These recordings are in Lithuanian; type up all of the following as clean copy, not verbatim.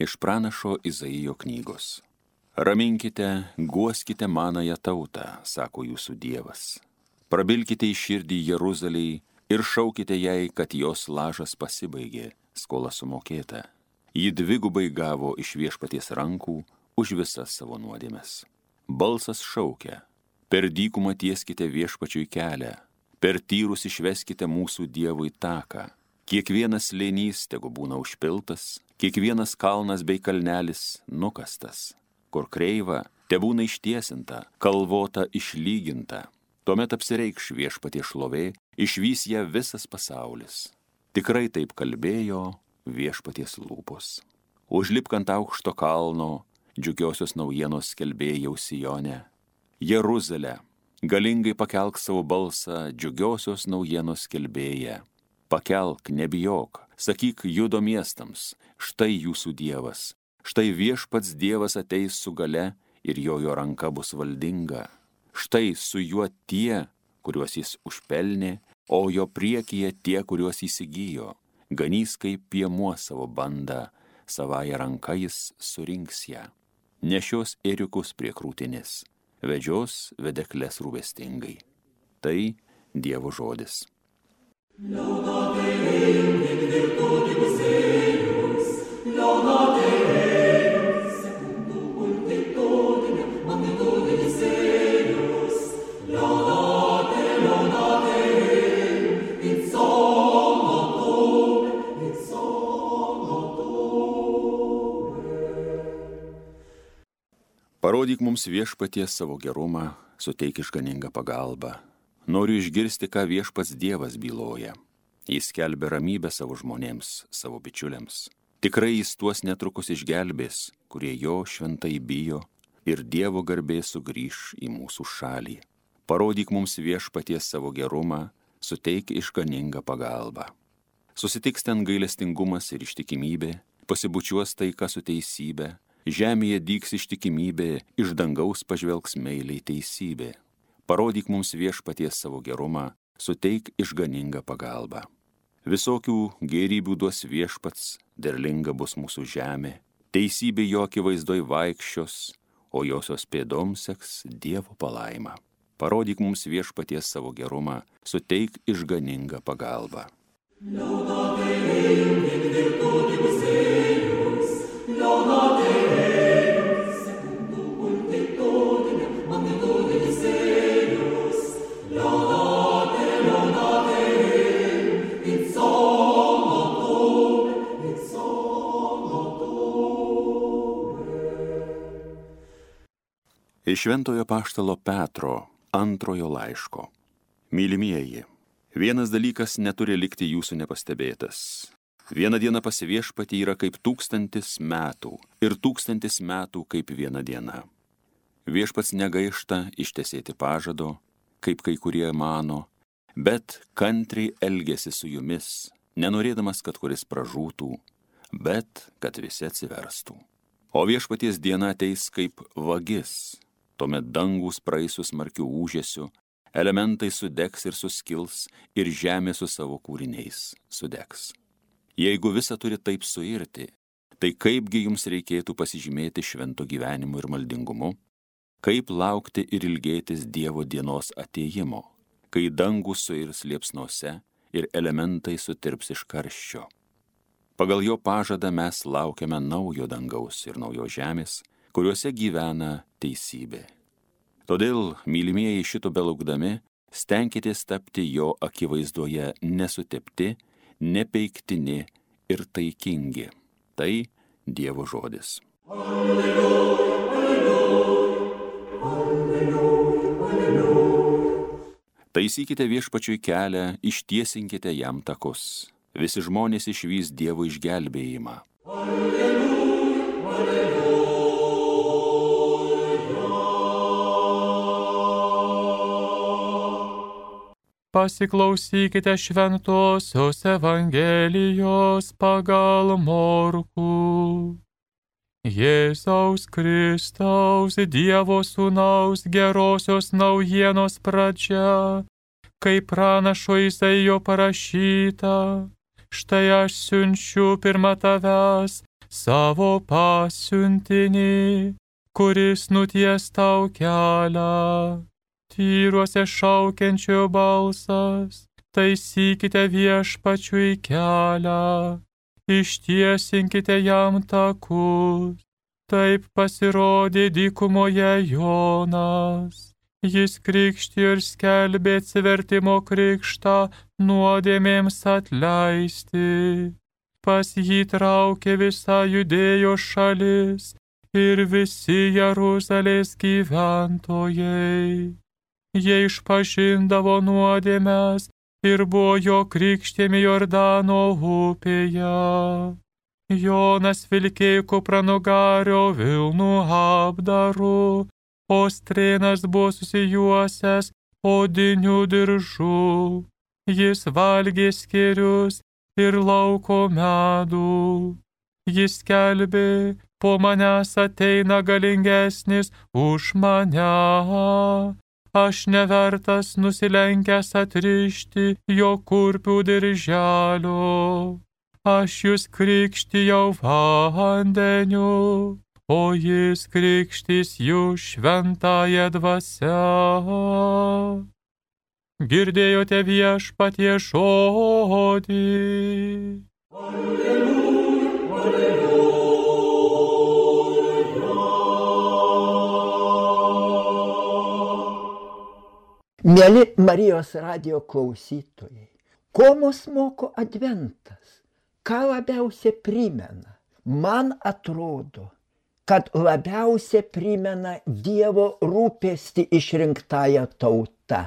Iš pranašo Izaijo knygos. Raminkite, guoskite manąją tautą, sako jūsų Dievas. Prabilkite į širdį Jeruzalei ir šaukite jai, kad jos lažas pasibaigė, skola sumokėta. Ji dvigubai gavo iš Viešpaties rankų už visas savo nuodėmes. Balsas šaukia, per dykumą tieskite Viešpačiui kelią, per tyrus išveskite mūsų Dievui taką. Kiekvienas slėnys tegu būna užpiltas, kiekvienas kalnas bei kalnelis nukastas. Kur kreiva, tebūna ištiesinta, kalvota išlyginta. Tuomet apsireikš Viešpaties šlovė, išvys ją visas pasaulis. Tikrai taip kalbėjo Viešpaties lūpos. Užlipk ant aukšto kalno, džiugiosios naujienos skelbėjau Sijone. Jeruzalė, galingai pakelk savo balsą, džiugiosios naujienos skelbėja. Pakelk, nebijok, sakyk Judo miestams, štai jūsų Dievas. Štai Viešpats Dievas ateis su gale ir jo ranka bus valdinga. Štai su juo tie, kuriuos jis užpelnė, o jo priekyje tie, kuriuos įsigijo. Ganys kaip piemuo savo bandą, savąją ranką jis surinks ją. Nešios ėriukus prie krūtinės, vedžios vedekles rūpestingai. Tai Dievo žodis. Laudate Deum in virtutibus eius, laudate Deum secundum multitudinem magnitudinis eius, laudate Deum in sonotone, in sonotone. Parodyk mums Viešpaties savo gerumą, suteik išganingą pagalbą. Noriu išgirsti, ką Viešpats Dievas byloja. Jis skelbia ramybę savo žmonėms, savo bičiuliams. Tikrai jis tuos netrukus išgelbės, kurie jo šventai bijo, ir Dievo garbė sugrįš į mūsų šalį. Parodyk mums Viešpaties savo gerumą, suteik išganingą pagalbą. Susitiks ten gailestingumas ir ištikimybė, pasibučiuos taika su teisybė, žemėje dygs ištikimybė, iš dangaus pažvelgs meiliai teisybė. Parodyk mums Viešpaties savo gerumą, suteik išganingą pagalbą. Visokių gėrybių duos Viešpats, derlinga bus mūsų žemė, teisybė jo akivaizdoj vaikščios, o josios pėdom seks Dievo palaima. Parodyk mums Viešpaties savo gerumą, suteik išganingą pagalbą. Laudate Deum in virtutibus eius, laudate Deum secundum multitudinem magnitudinis eius, laudate Deum in sonotone, in sonotone. Iš Šventojo apaštalo Petro antrojo laiško. Mylimieji, vienas dalykas neturi likti jūsų nepastebėtas. Viena diena pas Viešpatį yra kaip 1000 metų ir 1000 metų kaip viena diena. Viešpats negaišta ištesėti pažado, kaip kai kurie mano, bet kantriai elgiasi su jumis, nenorėdamas, kad kuris pražūtų, bet kad visi atsiverstų. O Viešpaties diena ateis kaip vagis, tuomet dangus praeis su smarkiu ūžesiu, elementai sudegs ir suskils, ir žemė su savo kūriniais sudegs. Jeigu visa turi taip suirti, tai kaipgi jums reikėtų pasižymėti švento gyvenimu ir maldingumu? Kaip laukti ir ilgėtis Dievo dienos atėjimo, kai dangus suirs liepsnose ir elementai sutirps iš karščio? Pagal jo pažadą mes laukiame naujo dangaus ir naujos žemės, kuriuose gyvena teisybė. Todėl, mylimieji, šito belaukdami, stenkitės tapti jo akivaizdoje nesutepti, nepeiktini ir taikingi. Tai Dievo žodis. Alleluja, alleluja, alleluja, alleluja. Taisykite Viešpačiui kelią, ištiesinkite jam takus. Visi žmonės išvys Dievo išgelbėjimą. Alleluja, alleluja. Pasiklausykite šventosios Evangelijos pagal Morkų. Jėzaus Kristaus, Dievo Sūnaus gerosios naujienos pradžia, kaip pranašo Izaijo parašyta, štai aš siunčiu pirma tavęs savo pasiuntinį, kuris nuties tau kelią. Tyruose šaukiančio balsas, taisykite viešpačiui kelią, ištiesinkite jam takus. Taip pasirodė dykumoje Jonas. Jis krikštijo ir skelbė atsivertimo krikštą nuodėmėms atleisti. Pas jį traukė visa Judėjos šalis ir visi Jeruzalės gyventojai. Jie išpažindavo nuodėmes ir buvo jo krikštėmi Jordano upėje. Jonas vilkėjo kupranugario vilnų apdaru, o strėnas buvo susijuosęs odiniu diržu. Jis valgė skėrius ir lauko medų. Jis skelbė, po manęs ateina galingesnis už mane. Aš nevertas nusilenkęs atrišti jo kurpių dirželio. Aš jūs krikštijau vandeniu, o jis krikštys jūs šventąja dvasia. Girdėjote viešpatie žodį. Mieli Marijos radijo klausytojai, ko mus moko adventas? Ką labiausiai primena? Man atrodo, kad labiausiai primena Dievo rūpestį išrinktąją tautą.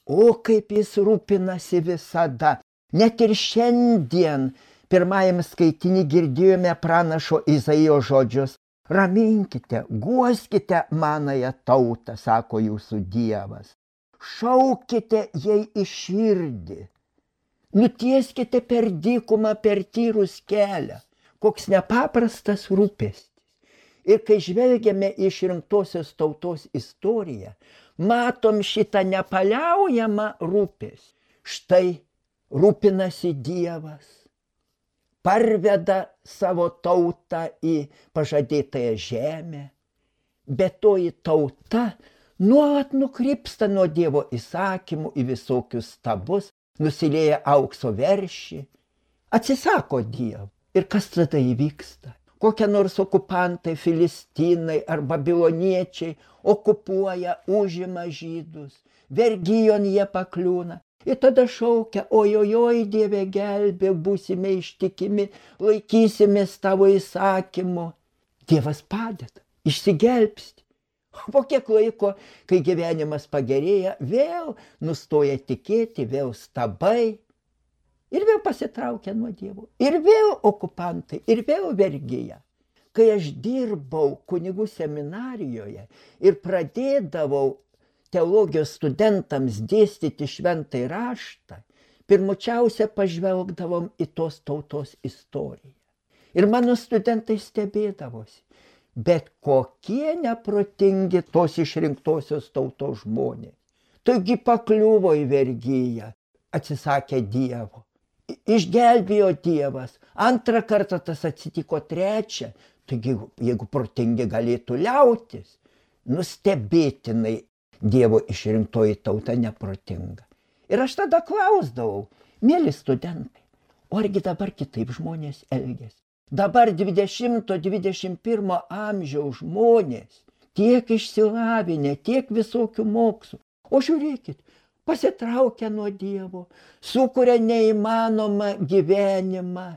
O kaip jis rūpinasi visada. Net ir šiandien pirmajam skaitinį girdėjome pranašo Izaijo žodžius. Raminkite, guoskite manąją tautą, sako jūsų Dievas. Šaukite jai į širdį. Nutieskite per dykumą, per tyrus kelią. Koks nepaprastas rūpestis. Ir kai žvelgiame į išrinktosios tautos istoriją, matom šitą nepaliaujamą rūpestį. Štai rūpinasi Dievas, parveda savo tautą į pažadėtąją žemę, bet toji tauta nuolat nukrypsta nuo Dievo įsakymų į visokius stabus, nusilieja aukso veršį, atsisako Dievo. Ir kas tada įvyksta? Kokie nors okupantai, filistinai ar babiloniečiai okupuoja, užima žydus, vergijon jie pakliūna. Ir tada šaukia, ojojoj, Dieve gelbė, būsime ištikimi, laikysimės tavo įsakymų. Dievas padeda, išsigelbsti. Po kiek laiko, kai gyvenimas pagerėja, vėl nustoja tikėti, vėl stabai ir vėl pasitraukia nuo Dievo. Ir vėl okupantai, ir vėl vergija. Kai aš dirbau kunigų seminarijoje ir pradėdavau teologijos studentams dėstyti šventąjį raštą, pirmučiausia pažvelgdavom į tos tautos istoriją. Ir mano studentai stebėdavosi. Bet kokie neprotingi tos išrinktosios tautos žmonės. Taigi pakliuvo į vergiją, atsisakė Dievo. Išgelbėjo Dievas, antrą kartą tas atsitiko, trečią. Taigi, jeigu protingi galėtų liautis, nustebėtinai Dievo išrinktoji tauta neprotinga. Ir aš tada klausdavau, mieli studentai, o argi dabar kitaip žmonės elgiasi? Dabar 20-21 amžiaus žmonės tiek išsilavinę, tiek visokių mokslų. O žiūrėkit, pasitraukia nuo Dievo, sukuria neįmanomą gyvenimą,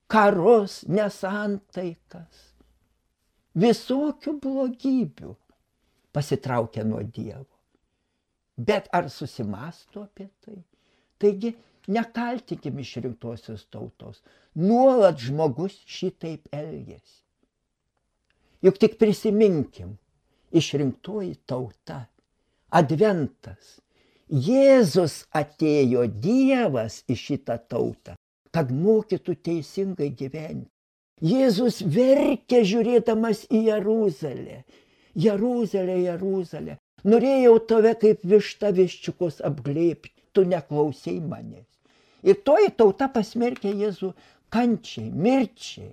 karus, nesantaikas, visokių blogybių pasitraukia nuo Dievo. Bet ar susimąsto apie tai? Taigi, nekaltikim išrinktosios tautos. Nuolat žmogus šitaip elgiasi. Juk tik prisiminkim, išrinktoji tauta, adventas. Jėzus atėjo, Dievas į šitą tautą, kad mokytų teisingai gyventi. Jėzus verkė žiūrėdamas į Jeruzalę. Jeruzalė, Jeruzalė, norėjau tave kaip višta viščiukus apglėbti, tu neklausei manęs. Ir toji tauta pasmerkė Jėzų kančiai, mirčiai.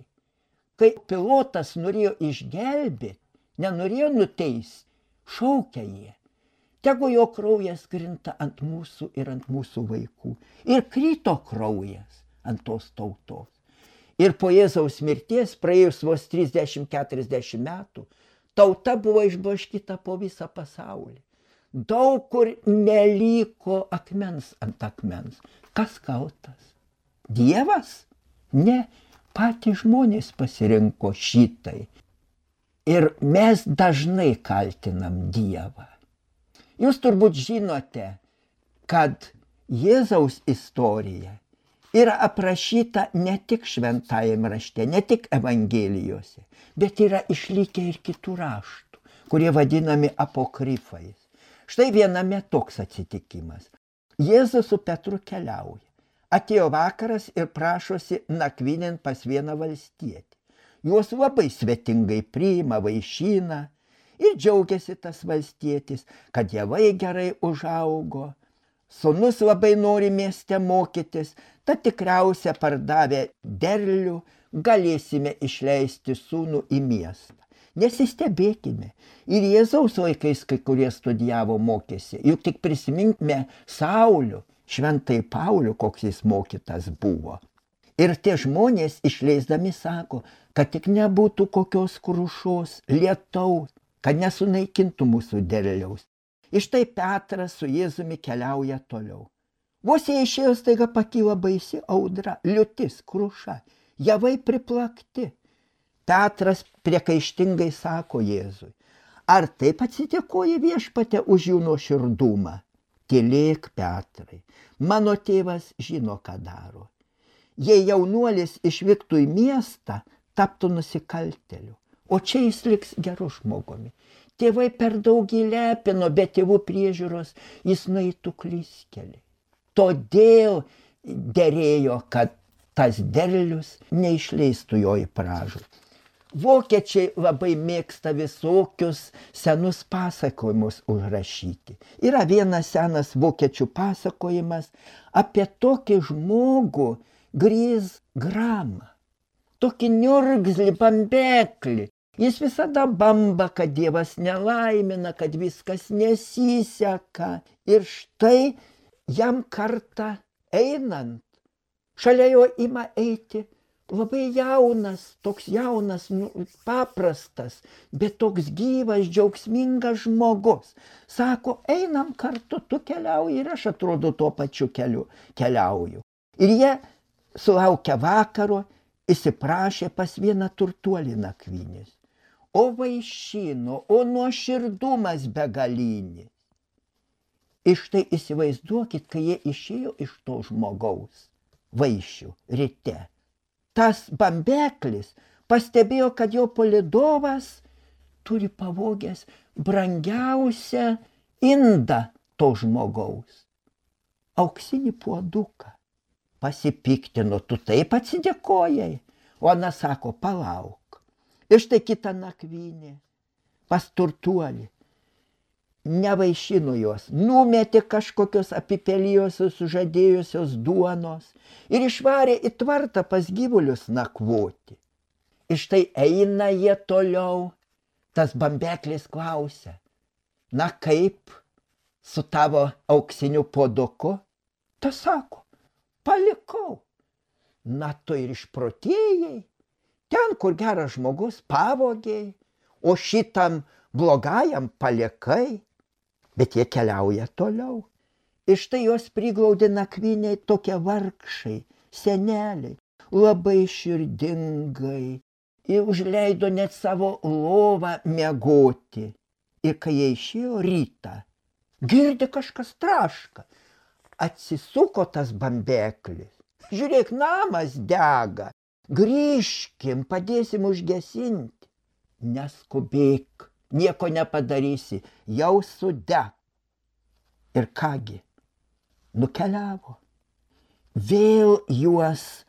Kai pilotas norėjo išgelbėti, nenorėjo nuteisti, šaukia jie. Tegu jo kraujas krinta ant mūsų ir ant mūsų vaikų. Ir krito kraujas ant tos tautos. Ir po Jėzaus mirties, praėjus vos 30-40 metų, tauta buvo išblaškyta po visą pasaulį. Daug kur neliko akmens ant akmens. Kas kaltas? Dievas? Ne, patys žmonės pasirinko šitai. Ir mes dažnai kaltinam Dievą. Jūs turbūt žinote, kad Jėzaus istorija yra aprašyta ne tik šventajame rašte, ne tik evangelijose, bet yra išlikę ir kitų raštų, kurie vadinami apokrifais. Štai viename toks atsitikimas. Jėzus su Petru keliauja. Atėjo vakaras ir prašosi nakvynėn pas vieną valstietį. Juos labai svetingai priima, vaišina ir džiaugiasi tas valstietis, kad javai gerai užaugo. Sūnus labai nori mieste mokytis, tad tikriausia pardavę derlių galėsime išleisti sūnų į miestą. Nesistebėkime. Ir Jėzaus laikais kai kurie studijavo, mokėsi. Juk tik prisiminkime Saulių, šventai Paulių, koks jis mokytas buvo. Ir tie žmonės išleisdami sako, kad tik nebūtų kokios krušos, lietaus, kad nesunaikintų mūsų derliaus. Ir štai Petras su Jėzumi keliauja toliau. Vos jie išėjo, staiga pakyla baisi audra, liūtis, kruša, javai priplakti. Petras priekaištingai sako Jėzui, ar taip atsidėkoja Viešpatie už jų nuoširdumą? Tylėk, Petrai, mano tėvas žino, ką daro. Jei jaunuolis išvyktų į miestą, taptų nusikaltėliu, o čia jis liks geru žmogumi. Tėvai per daug įlepino, be tėvų priežiūros jis nueitų klystkeliai. Todėl derėjo, kad tas derlius neišleistų jo į pražūtį. Vokiečiai labai mėgsta visokius senus pasakojimus užrašyti. Yra vienas senas vokiečių pasakojimas apie tokį žmogų Gris Gramą. Tokį niurgzlį, bambeklį. Jis visada bamba, kad Dievas nelaimina, kad viskas nesiseka. Ir štai jam kartą einant, šalia jo ima eiti labai jaunas, toks jaunas, paprastas, bet toks gyvas, džiaugsmingas žmogus. Sako, einam kartu, tu keliauji ir aš atrodo tuo pačiu keliu keliauju. Ir jie sulaukia vakaro, įsiprašė pas vieną turtuolį nakvynės. O vaišino, o nuoširdumas begalinis. Ir štai įsivaizduokit, kai jie išėjo iš to žmogaus vaišių ryte. Tas bambeklis pastebėjo, kad jo palydovas turi pavogęs brangiausią indą to žmogaus. Auksinį puoduką. Pasipiktino, tu taip atsidėkojai. O ana sako, palauk. Ir štai kitą nakvynę pas turtuolį. Nevaišino jos, numetė kažkokios apipelijosios, sužadėjusios duonos ir išvarė į tvartą pas gyvulius nakvoti. Ir štai eina jie toliau, tas bambeklis klausia, na kaip su tavo auksiniu puoduku? Tas sako, palikau. Na tu ir išprotėjai, ten, kur geras žmogus, pavogėjai, o šitam blogajam palikai. Bet jie keliauja toliau. Ir štai jos priglaudė nakvyniai tokie vargšai, seneliai, labai širdingai. Ir užleido net savo lovą miegoti. Ir kai jie išėjo rytą, girdi kažkas traška. Atsisuko tas bambeklis. Žiūrėk, namas dega. Grįžkim, padėsim užgesinti. Neskubėk, nieko nepadarysi, jau sudeg. Ir kągi, nukeliavo. Vėl juos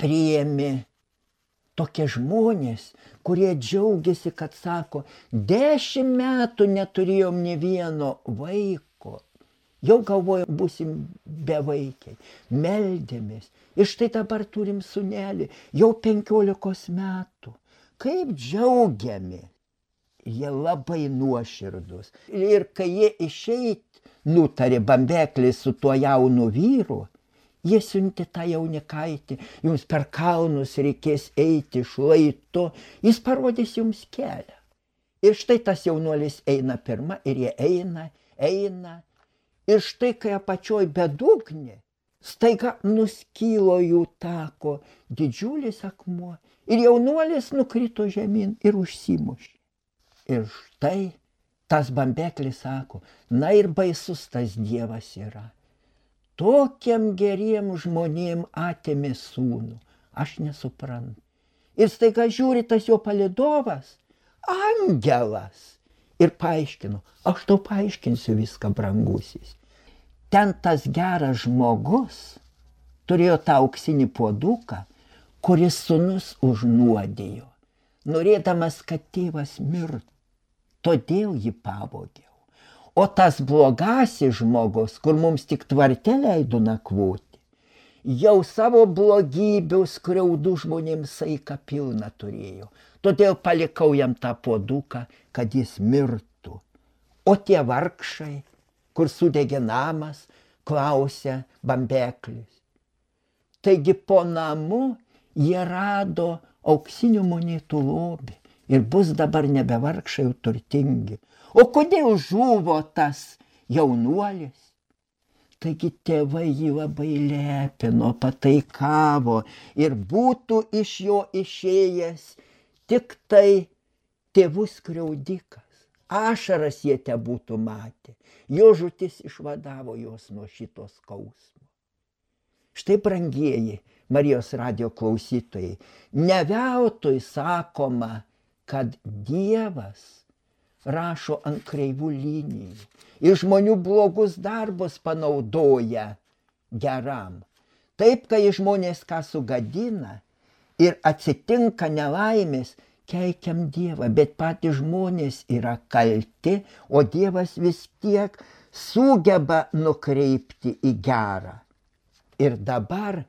priėmė tokie žmonės, kurie džiaugiasi, kad sako, 10 metų neturėjom nė vieno vaiko. Jau galvojom, būsim bevaikiai. Meldėmės. Ir štai dabar turim sūnelį, jau 15 metų. Kaip džiaugiamės. Jie labai nuoširdus. Ir kai jie išeit nutarė Bambeklis su tuo jaunu vyru, jie siuntė tą jaunikaitį, jums per kalnus reikės eiti šlaitu, jis parodys jums kelią. Ir štai tas jaunuolis eina pirma ir jie eina. Ir štai kai apačioj bedugnė, staiga nuskylo jų tako didžiulis akmuo ir jaunuolis nukrito žemyn ir užsimušė. Ir štai tas Bambeklis sako, na ir baisus tas Dievas yra. Tokiam geriem žmonėm atėmė sūnų, aš nesuprantu. Ir staiga žiūri tas jo palydovas, angelas. Ir paaiškino, aš tau paaiškinsiu viską, brangusis. Ten tas geras žmogus turėjo tą auksinį puoduką, kuris sūnus užnuodėjo, norėdamas, kad tėvas mirtų. Todėl jį pavogiau. O tas blogasis žmogus, kur mums tik tvarte leido nakvoti, jau savo blogybių skriaudų žmonėms saiką pilną turėjo. Todėl palikau jam tą puoduką, kad jis mirtų. O tie vargšai, kur sudegė namas, klausė Bambeklis. Taigi po namu jie rado auksinių monetų lobį ir bus dabar nebe vargšai, jau turtingi. O kodėl žuvo tas jaunuolis? Taigi tėvai jį labai lepino, pataikavo ir būtų iš jo išėjęs tik tai tėvų skriaudikas. Ašaras jie te būtų matę. Jo žūtis išvadavo juos nuo šito skausmo. Štai, brangieji Marijos radijo klausytojai, ne veltui sakoma, kad Dievas rašo ant kreivų linijų ir žmonių blogus darbus panaudoja geram. Taip, kai žmonės ką sugadina ir atsitinka nelaimės, keikiam Dievą, bet patys žmonės yra kalti, o Dievas vis tiek sugeba nukreipti į gerą. Ir dabar,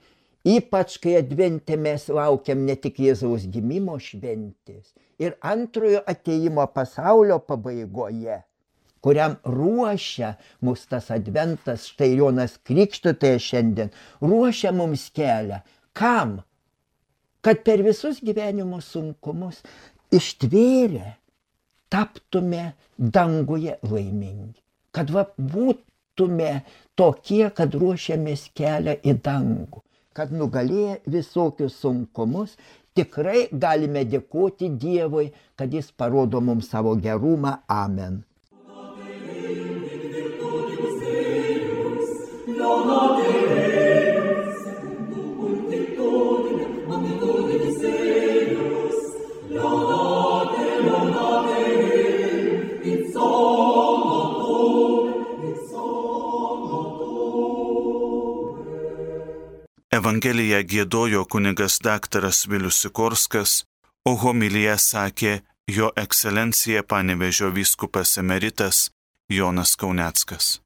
ypač kai advente mes laukiam ne tik Jėzaus gimimo šventės, ir antrojo atėjimo pasaulio pabaigoje, kuriam ruošia mus tas adventas, štai Jonas Krikštytojas šiandien, ruošia mums kelią. Kam? Kad per visus gyvenimo sunkumus ištvėrę taptume danguje laimingi. Kad būtume tokie, kad ruošiamės kelią į dangų. Kad nugalėję visokius sunkumus, tikrai galime dėkoti Dievui, kad jis parodo mums savo gerumą. Amen. Evangeliją giedojo kunigas daktaras Vilius Sikorskas, o homiliją sakė jo ekscelencija Panevėžio vyskupas emeritas Jonas Kauneckas.